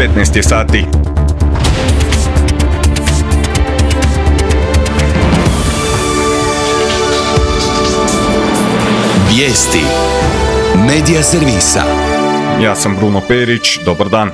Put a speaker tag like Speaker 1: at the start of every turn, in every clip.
Speaker 1: 15 je sati.
Speaker 2: Vijesti Medija servisa.
Speaker 1: Ja sam Bruno Perić, dobar dan.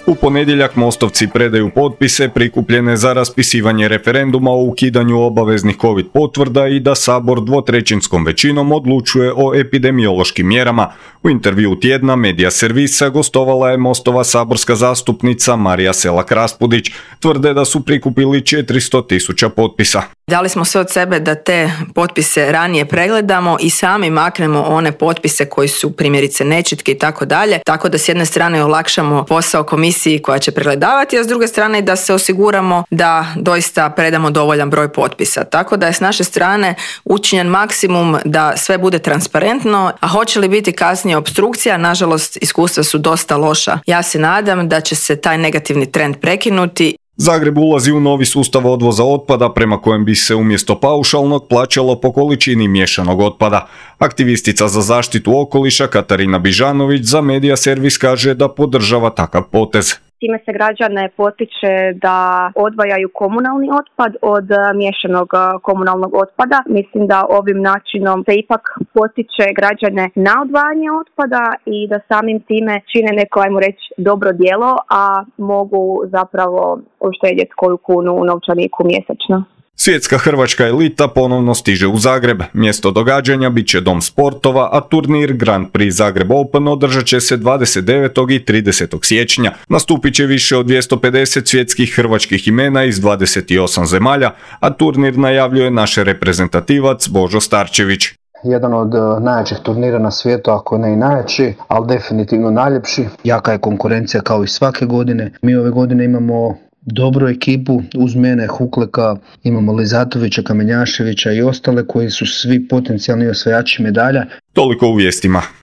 Speaker 1: U ponedjeljak Mostovci predaju potpise prikupljene za raspisivanje referenduma o ukidanju obaveznih COVID potvrda i da Sabor dvotrećinskom većinom odlučuje o epidemiološkim mjerama. U intervju tjedna Medija servisa gostovala je Mostova saborska zastupnica Marija Selak-Raspudić. Tvrde da su prikupili 400.000 potpisa.
Speaker 3: Dali smo sve od sebe da te potpise ranije pregledamo i sami maknemo one potpise koji su primjerice nečitki i tako dalje, tako da s jedne strane olakšamo posao komisiji koja će pregledavati, a s druge strane da se osiguramo da doista predamo dovoljan broj potpisa. Tako da je s naše strane učinjen maksimum da sve bude transparentno, a hoće li biti kasnije opstrukcija, nažalost iskustva su dosta loša. Ja se nadam da će se taj negativni trend prekinuti.
Speaker 1: Zagreb ulazi u novi sustav odvoza otpada prema kojem bi se umjesto paušalnog plaćalo po količini miješanog otpada. Aktivistica za zaštitu okoliša Katarina Bižanović za Medija servis kaže da podržava takav potez.
Speaker 4: Time se građane potiče da odvajaju komunalni otpad od miješanog komunalnog otpada. Mislim da ovim načinom se ipak potiče građane na odvajanje otpada i da samim time čine neko, ajmo reći, dobro djelo, a mogu zapravo uštedjeti koju kunu u novčaniku mjesečno.
Speaker 1: Svjetska hrvačka elita ponovno stiže u Zagreb. Mjesto događanja bit će Dom sportova, a turnir Grand Prix Zagreb Open održat će se 29. i 30. siječnja. Nastupit će više od 250 svjetskih hrvačkih imena iz 28 zemalja, a turnir najavljuje naš reprezentativac Božo Starčević.
Speaker 5: Jedan od najjačih turnira na svijetu, ako ne i najjači, ali definitivno najljepši. Jaka je konkurencija kao i svake godine. Mi ove godine imamo dobru ekipu, uz mene Hukleka, imamo Lizatovića, Kamenjaševića i ostale koji su svi potencijalni osvajači medalja.
Speaker 1: Toliko u vijestima.